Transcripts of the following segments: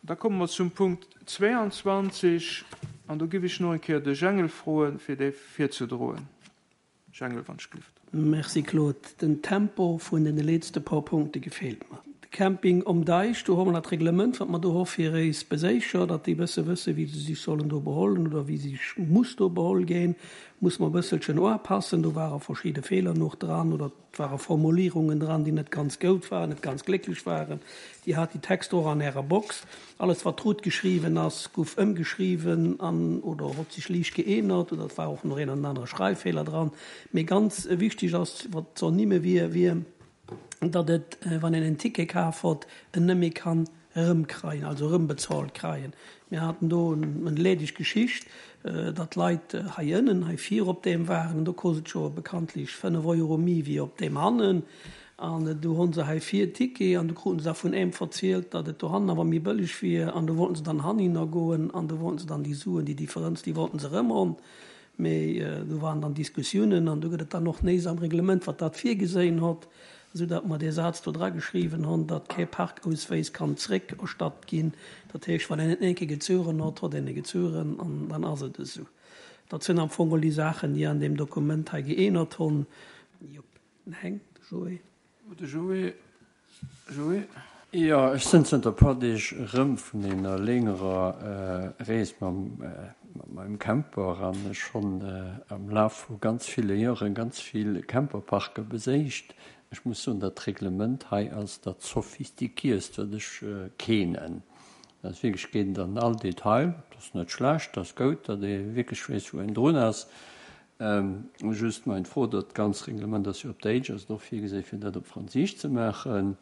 Da komme mer zum Punkt 22 an do giff ech no eng Kéier de Jengel froen, fir dee virzedroen. Jengel, wann ech glift. Merci Claude, den Tempo vun den letzte paar Punkte gefehlt mer. De Camping um Deich, do hu mer dat Reglement wat mer do hu fir éis Beséicher, datt déi bësse wësse wéi se sich sollen do behollen oder wéi sich muss do beholl ginn, muss mer e bësselchen uapassen. Do ware verschidde Feeler noch dran oder Et ware Formulierungen dran, déi net ganz goud waren, net ganz glécklech waren. Dir hat déi Texter och an Ärer Box. Alles, wat rout geschriwwen ass, guff ëmgeschriwwen an oder hott sech liicht geänert oder et war och nach een an anere Schreiffeeler dran. Mee ganz wichteg ass, wat ze ernimme wier, wier, datt et, wann een en Ticket kaf hott, en net méi kann erëmkreien, also erëmbezaalt kreien. Mir haten do en lädeg Geschicht, datt d'Leit hei ënnen, hei vir op deem waren, an do kost et jo bekanntlech 5 Euro mi wéi op deem hannen, an du honn se hei vir Ticket, an du kruten se da vun eem verzielt, datt et dohannen awer mi bëlleg wier, an du wollten se dann hanninner goen, an du wollten se dann déi Suen, déi Differenz, déi wollten se erëm honn. Mee do waren dann Diskussiounen an do gëtt et dann och néis am Reglement, wat dat virgeséien hott, esou datt mer dee Saz do drageschriwwen honn, datt kee Parkauswéis kann zréckerstatt ginn. Dat heescht, wann een et eng Kéier gezueren hott, hott een e gezueren an dann ass et esou. Dat sinn am Fong all déi Saachen, déi an deem Dokument hei geänert honn. Jop, den Heng, de Joé. De Joé, Joé. Jo, ech sënn zënter e puer Deeg erëm vun enger léngerer Rees mam meinem Camper an ech honn am Laf vu ganz ville Joeren ganz vill Camperparker beséicht. Ech muss soen, dat Reglement hei ass dat sophistiquierst wat ech keenen. Dat ass wierklech, geet an all Detail. Dat ass net schlecht, dat ass goud, datt ee wierklech weess wou een drun ass. Just mein Fro, dat ganz Reglement ass jo op Déitsch, ass et och virgesinn fir dat op Franséisch ze maachen?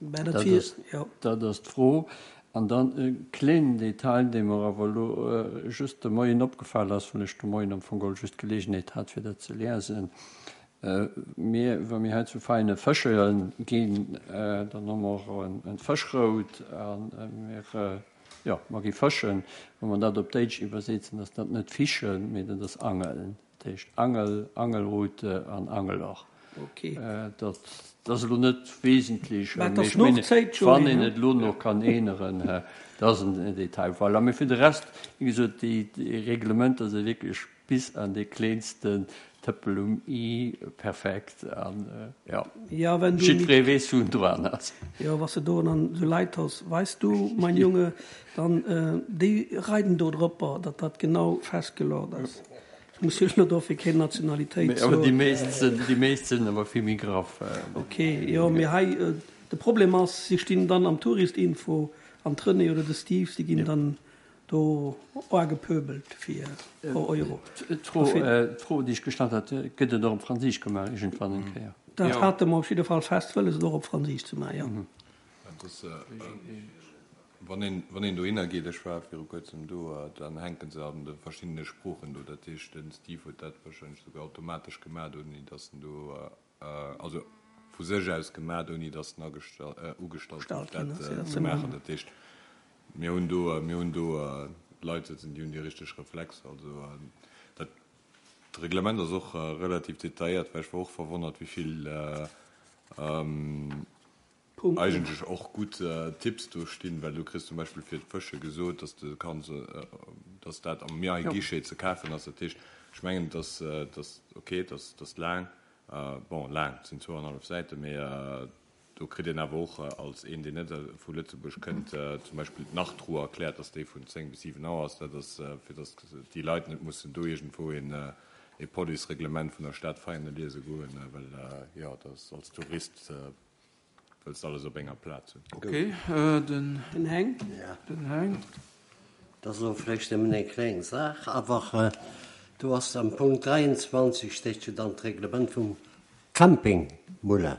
Dat ass d'Fro. An dann e klénen Detail, dee mer awer elo just de Moien opgefal ass, well ech de Moien am Fong geholl just d'Gelegenheet hat fir dat ze liesen. Mir, wa mir hei zu Veinen fësche ginn, dann hu mer och e Fëschrout a mir, Jo, mer gi fëschen. Wa mer dat op Déitsch iwwersetzen, ass dat net fischen, mee dat ass angeln. Dat heescht Angel, Angelrute an Angeloch. Dat ass elo net wesentlech, mee ech mengen, wann een et elo nach kann änneren, dat ass en Detail. Voilà, mee fir de Rest, wéi gesot, déi Reglementer si wierklech Bis an dee kleensten Tëppel um i, perfekt an jo, jiddweree weess wou en dran ass. Jo, was de do dann sou Leit has, weiss du, mein Junge, dann déi reiden do dropper, datt dat genau festgelort ass. Ech muss jo elo dofir keng Nationalitéit soen. Awer déi meesst sinn, déi meesst sinn awer vill méi graff. Ok, jo, mee hei, de Problem ass, si stinn dann am Touristinfo an d'Renée oder de Steve, si ginn dann Do oa gepöbelt fir pro Euro. D'Fro, déi ech gestallt hat, gëtt et och op Franséisch gemaach iergendwann eng Kéier? Dat hate mer op jidde Fall fest wëlles, et och op Franséisch ze maachen, jo. Wann een, wann een dohinner geet, ech war viru kuerzem do, dann hänke se an de verschiddene Sproochen do. Dat heescht, den Steve huet dat warscheinlech souguer automatesch gemaach, ouni datt en do, also vu sech aus gemaat, ouni datt en ugestallt gouf, dat ze maachen. Dat heescht, mir hunn do, mir hunn do Leit sëtzen, déi hunn déi richteg Reflexer. Also dat Reglement ass och relativ detailléiert, well ech war och verwonnert, wéi vill eigentlech och gutt Tipps do stinn, well du kriss zum Beispill fir d'Fësche gesot, dass de kanns, dass dat am Mairie-Guichet ze kafen ass. Dat heescht, ech mengen, dass, dass, okay, dass, dass laang, bon, laang, et sinn zwouannerhallef Säiten, mee do kritt een awer och als een, deen net vu Lëtzebuerg kënnt, zum Beispill d'Nachtruhe erkläert, dass déi vun 10 bis 7 Auer ass. Dat ass, fir dass déi Leit net mussen do iergendwou een e Police-Reglement vun der Stad Veianen liese goen, well, jo, dass als Tourist Wëlls de alles op enger Plaz hunn? Ok, den Den Heng. Den Heng. Dat ass elo vläicht nëmmen eng kleng Saach, awer do ass am Punkt 23 steet jo dann d'Reglement vum Camping Moulin.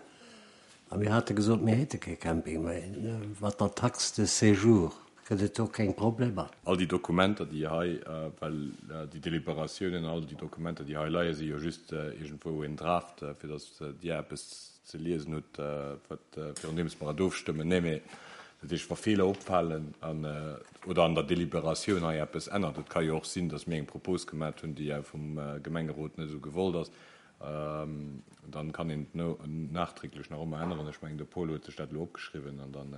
A mir hate gesot, mir hätte kee Camping méi. Mat der Taxe de séjour gëtt et do keng Problemer? All déi Dokumenter, déi hei, well déi Deliberatiounen, all déi Dokumenter, déi hei leien, si jo just iergendwou en Draft, fir datt Dir eppes ze liesen hutt, wat virun deems mer et ofstëmmen. Nee, mee dat heescht, wa Feeler opfalen an, oder an der Deliberatioun hei eppes ännert, et ka jo och sinn, datt mir eng Propos gemat hunn, déi vum Gemengerot net esou gewollt ass, dann kann een et nachträglech nach ëmmer änneren. Ech mengen, de Paul huet sech dat elo opgeschriwwen an dann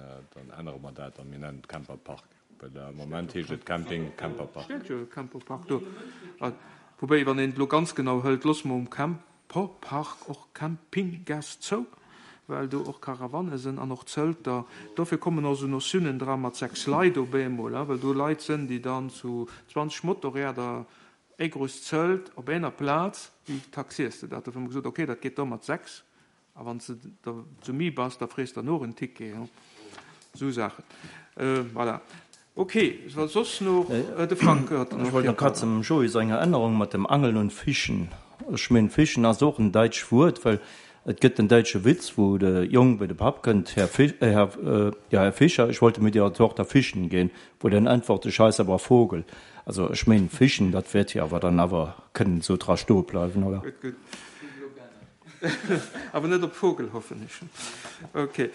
ännere mer dat a mir nennen et Camper Park. Well am Moment heescht et Camping, Camperpark. Steet jo Camperpark do. Woubäi, wann een et elo ganz genau hëlt, loosse mer um Camperpark och Campinggässt zou, well do och Caravanne sënn an och Zëlter. Dofir kommen och esou Notiounen dra mat 6 Leit op eemol, well do Leit sënn, déi dann zu 20 Motorräder e grousst Zëlt op ener Plaz, wéi taxiers de dat? Dofir hu mer gesot, okay, dat geet da mat 6. A wann s de der zu mi bass, da frees der noch en Ticket. Esou Saachen. Voilà. Ok, wa soss nach de Frank huet nach. Ech wollt nach grad zum Joé senger Ännerung mat dem Angeln und Fischen. Ech meen, Fischen ass och en däitscht Wuert, well et gëtt den däitsche Witz, wou de Jong bei de Papp kënnt, Herr Fi-, Herr, ja, Herr Fischer, ich wollte mit Ihrer Tochter fischen gehen, wou den äntwert, Ich heiße aber Vogel. Also ech meen, Fischen, dat wäert jo awer dann awer kënnen esou dra stoe bleiwen, oder? Gutt, gutt. Awer net op Vogel, hoffen ech. Ok,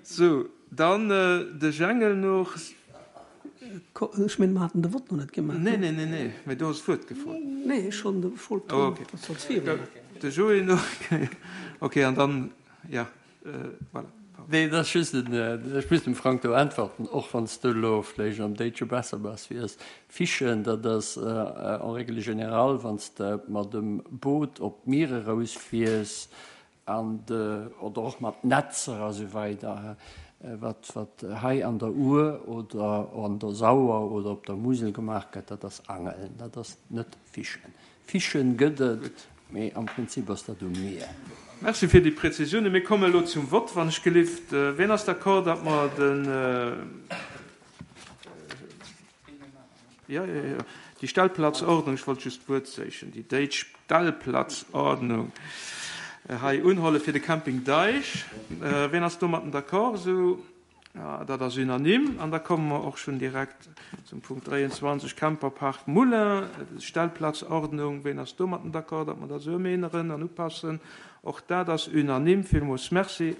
sou, dann de Jengel noch. Ech mengen, mer haten de Vott nach net gemaach. Nee, nee, nee, nee, mee du hues d'Wuert gefrot. Nee, ech hunn de Vott. Oh, ok. De Joé nach. Ok, an dann, ja. Voilà. Nee, et ass just en, ech muss dem Frank do äntwerten, och wann s du elo vläicht am Déitsche besser bass wéi ech. Fischen, dat ass en règle générale, wann s de mat em Boot op d'Mier erausfiers an de, oder och mat Netzer a sou weider, wat wat hei an der Our oder an der Sauer oder op der Musel gemaach gëtt, dat ass Angeln, dat ass net Fischen. Fischen gëtt et, mee am Prinzip ass dat um Mier. Merci fir déi Präzisiounen. Mir kommen elo zum Vott, wann ech gelift. Wien ass d'accord, datt mer den, jo, jo, jo, déi Stellplatzordnung, ech wollt just d'Wuert séichen, déi déitsch Stellplatzordnung hei unholle fir de Camping Deich? Wien ass domatten d'accord? Esou. Dat ass unanime. An da komme mer och schonn direkt zum Punkt 23, Camperpark Moulin, Stellplatzordnung. Ween ass domatten d'accord, datt mer dat esou ëmänneren an upassen? Och dat ass unanime. Villmools Merci.